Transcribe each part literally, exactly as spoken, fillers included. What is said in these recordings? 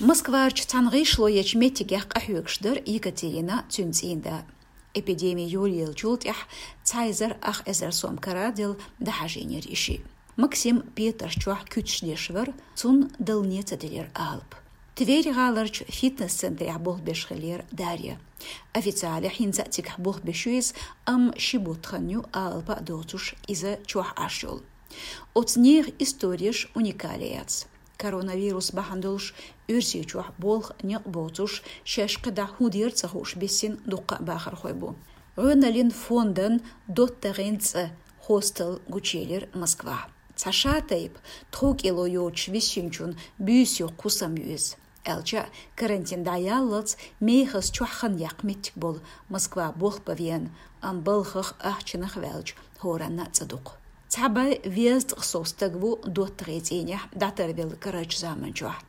Москварчу цхьана гӀишло ечу меттигех къахьоьгуш дара Екатерина, цуьнан цӀийнда. Эпидеми йолаеллачул тӀаьхьа цхьа эзар ах эзар сом караделла дӀахьажийнера и шиъ. Максим Петарш чохь куьцаш деш вара, цунна далла ца делира алапа. Тверь гӀаларчу фитнес-центрехь болх беш хиллера Дарья. Официалехь хӀинца а цигахь болх беш ю иза, амма ши бутт хан ю алапа а доцуш иза чохь Ӏаш йолу. Оцу нехан истореш уникале яц. Коронавирус бахьана долуш Оьрсийчохь болх, некъ боцуш, шаьш кхидӀа хӀун дера ца хууш биссина дуккха а бахархой бу. ГӀоьналлин фондан «ДоттагӀийн цӀа» хостел гучуелира Москвахь. Цхьа ша тайпа, тхов кӀело йоцуш виссинчун буьйса йоккха хӀусам ю иза. Аьлча а, карантин дӀаяллалц мехаза чохь хан яккха меттиг болу Москва болх бан веана, амма балхах, ахчанах ваьлча, хӀоранна а цӀа дукха. Цхьа бӀе везткъа сов стаг ву доттагӀийн цӀийнехь дӀатарвелла карарчу заманчохь.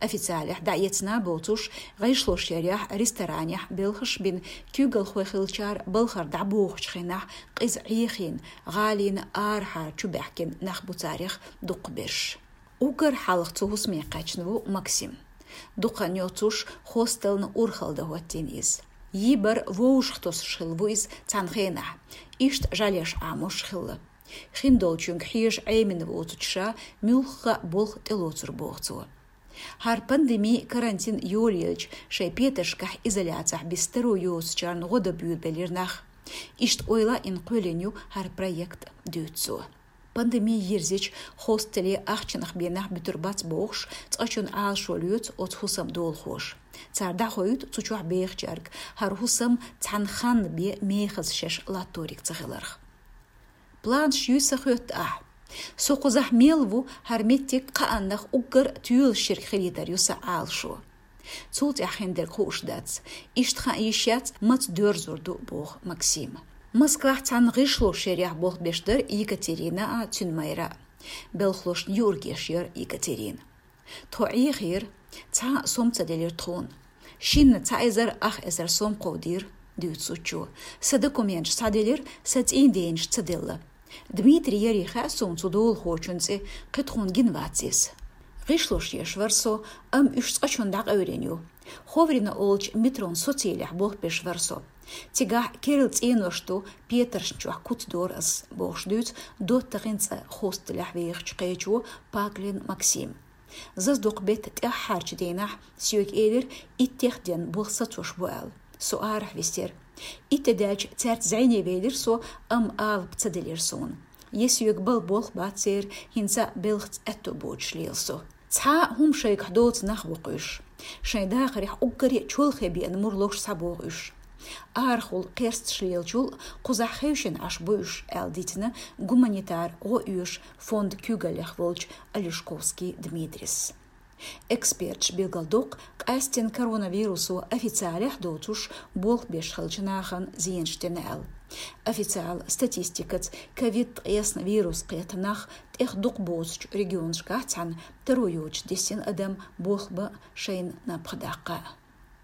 Официалехь дӀаэцна а боцуш, гӀишлош ярехь, ресторанехь белхаш а бина, куьйгалхой хиллачара балхара дӀабохучу хенахь къиза Ӏехийна, гӀалина арахьара чубаьхкина нах бу царех дукхахберш. Уггар хьалха цу хӀусаме кхаьчна ву Максим. Дукха хан йоцуш хостелна урхалла дан хӀоттийна иза. Йийбар вовшах тосуш хилла ву иза цхьана хенахь, иштта жӀаьлеш Ӏамош хилла. Хиндолчуьнга хьежа Ӏемина воцучу ша муьлхха а болх тӀелоцур боху цо. ХӀара пандеми, карантин йолаелча, шайн петаршкахь изоляцехь биса таро йоцучарна гӀо дан буьйлабелира нах. Иштта ойла а йина кхоьллина ю хӀара проект, дуьйцу цо. Пандеми йирзича, хостеле ахчанах бен нах буьтур бац бохуш, цкъачунна Ӏалашо лоьцу оцу хӀусаман долахоша. Цара дӀахоуьйту цу чохь бехачаьрга хӀара хӀусам цхьана ханна бен мехаза шаьш латториг ца хиларх. Планаш юй сан хоьтту ахь? Со кхузахь мел ву, хӀара меттиг кхааннах уггар а тоьлуш ерг хилийтар ю сан Ӏалашо. Цул тӀаьхьа хиндерг хууш дац. Иштта хаа йиш яц, маца доьрзур ду, боху Максима. Москвахь цхьана гӀишлош ярехь болх беш дара Екатерина а, цуьнан майра а. Белхалошна юург еш яра Екатерина. Тхо Ӏехийра, цхьа а сом ца делира тхуна. Шинна цхьа эзар ах эзар сом кховдийра, дуьйцу цо. Сан документаш схьаделира, сан цӀийнденаш ца делла. Дмитрий ярий хаьа суна цу долахочун цӀе, кхин тхуна гина вац иза. ГӀишлош еш вара со, амма уьш цкъачунна дӀакъевлина ю. Ховрина олучу метрон социйлехь болх беш вара со. Цигахь керла цӀенош ду, петаршна чохь куц дора ас, бохуш дуьйцу доттагӀийн цӀа хостелехь вехачу кхечо Паклин Максима. Зазадокху беттан тӀаьххьарчу дийнахь соьга элира, иттех ден болх сацош бу аьлла. Со арахь висира. Итт де даьлча цаьрца зӀене велира со, амма алапа ца делира суна. Я соьга бала болх бац церан, хӀинца а белхаца аьтто боцуш лела со. Цхьа а хӀума шайгахь доцу нах ву-кх уьш. Шайн дахарехь уггаре а чолхе беана мур ловш схьабогӀу уьш. Арахула кхерсташ лелачул кхузахь хевшина Ӏаш бу уьш, аьлла дийцина гуманитар гӀо оьшу фондан куьйгаллех волчу Олешковский Дмитрис. Эксперташ билгалдоккху къаьсттина коронавирусо официалехь доцуш болх беш хиллачу нахана зенаш дина аьлла. Официал статистикаца ковид ткъаесна вирус кхетта нах тӀех дукха боцучу регионашкахь цхьаьна таро йоцуш диссина адам болх бан шайна напха даккха.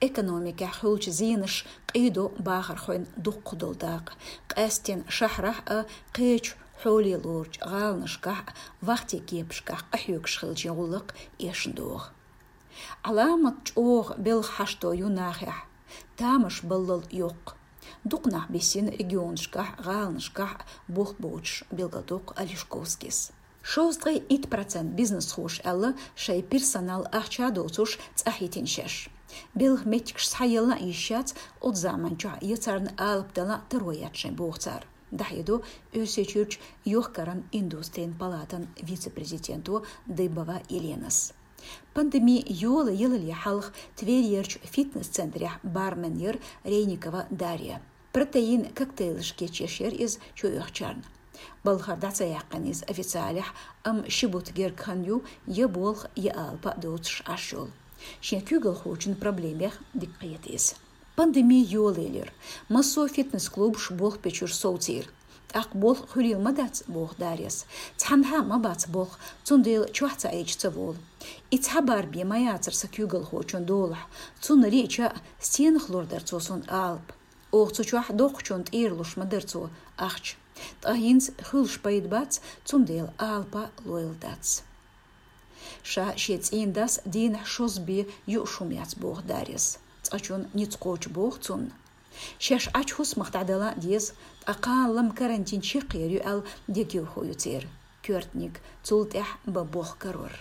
Экономикехь хуьлучу зенаш къийдо бахархойн дуккха долу дакъа. Къаьсттина шахьарахь а, кхечу хьоле лоручу гӀаланашкахь а вахтийн кепашкахь къахьоьгуш хиллачийн гӀуллакх эшна догӀу. Ӏаламат чӀогӀа белхан хьашто ю нахехь, тамаш баллал йоккха. Дукха нах биссина регионашкахь а, гӀаланашкахь а болх боцуш, билгалдоккху Олешковскийс. Шовзткъе итт процент бизнесхоша аьлла шайн персонал ахча доцуш цӀа хӀиттина шаьш. Белхан меттигаш схьаелла а йиш яц, оцу заманчохь я царна алапа дала а таро яц шайн, боху цара, дӀахьедо Оьрсийчуьрчу йохкаран индустрин палатан вице-президенто Дыбова Еленас. Пандеми йолаялале хьалха Тверьерчу фитнес-центрехь бармен яра Рейникова Дарья. Протеин коктейлаш кечъеш яра иза чуоьхучарна. Балхара дӀа ца яьккхина иза официалехь, амма ши бутт гергга хан ю я болх, я алапа а доцуш Ӏаш йолу. Шен куьйгалхочун проблемех дика кхета иза. Пандеми йолаелира. Массо а фитнес-клубаш болх бечуьра совцийра. ТӀаккха болх хуьлийла ма дац, боху Дарьяс. Цхьанхьа а ма бац болх, цундела чохь ца Ӏийча ца волу. И цхьа бар бен ма яцара сан куьйгалхочун долахь. Цунна лиъча а, стенах лур дара цо суна алапа? Оха цу чохь доккхучунна тӀера луш ма дара цо ахча. Ткъа хӀинца хуьлуш пайда бац, цундела алапа лойла дац. Ша шен цӀийнан дас дийнахьа шозза бе юаш хӀума яц, боху Дарьяс. Цкъачунна ницкъ кхочу боху цунна. Шаьш Ӏачу хӀусамах дӀадала а деза, ткъа кхана лама карантин чекхъер ю аьлла дегайовхо ю церан коьртаниг, цул тӀаьхьа бан болх карор.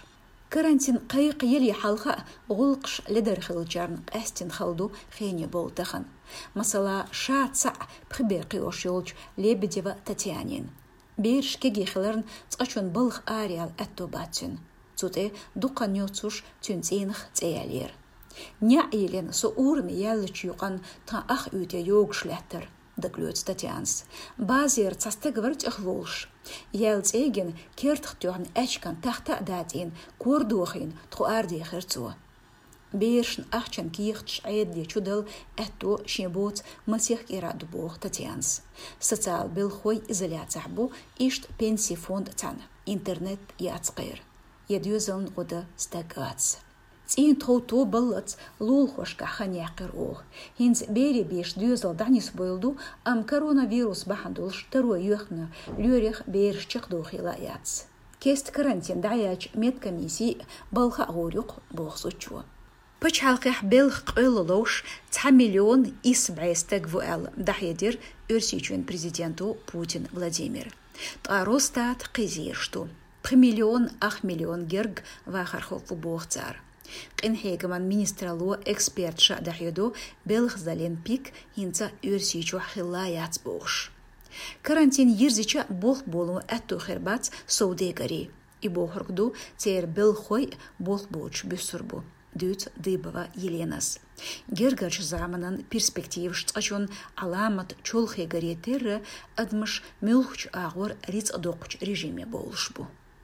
Карантин кхайкха яле хьалха а гӀуллакхаш ледара хиллачарна къаьстина хала ду хене бовла тахана. Масала, ша цхьаъ пхи бер кхиош йолчу Лебедева Татьянин. Бераш кегий хиларна, цкъачунна балха араяла аьтто бац цуьнан. Цу тӀе дукха хан йоцуш цуьнан цӀийнах цӀе яьллера. НеӀ йиллина со ураме яьллачу юкъанна тхан ах уьйтӀе йогуш лаьттара, дагалоьцу Татьянас. Базера цхьа стаг вара тӀехволуш. Яьлла цӀе а гина, кертах тоьхна аьчкан тахта а датӀийна, кора дохийна, тхо арадехира цо. Берашна ахчан кехаташ Ӏедале чудала аьтто шен боцу масех кӀира ду, боху Татьянас. Социал белхахой изоляцехь бу, иштта пенсийн фонд цхьаьна, интернет яц кхеран. Я доьзална гӀо дан стаг вац. ЦӀийнан тхов тобаллалц лулахошкахь хан яьккхира оха. ХӀинца берийн бешан доьзал дӀанисбойла ду, амма коронавирус бахьана долуш таро йоьхна лоьрех бераш чекхдохийла а яц. Кеста карантин дӀаяьлча медкомиссий а балха а гӀур ю-кх, боху зудчо. Пачхьалкхехь белхан къоьлла ловш цхьа миллион исс бӀе стаг ву аьлла, дӀахьедира Оьрсийчоьнан президенто Путин Владимира. Ткъа Росстата кхин зераш ду. Пхи миллион ах миллион герга вахархо ву боху цара. Къинхьегаман министралло, эксперташа а дӀахьедо, белхазаллин пик хӀинца Оьрсийчохь хилла яц бохуш. Карантин йирзича а болх боло аьтто хир бац совдегарийн. И бохург ду, церан белхахой а болх боцуш буьссур бу, дуьйцу Дыбова Еленас. Гергарчу заманан перспективаш цкъачунна Ӏаламат чолхегаре терра, адамаш муьлххачу агӀор рицкъ доккхучу режиме бовлуш бу.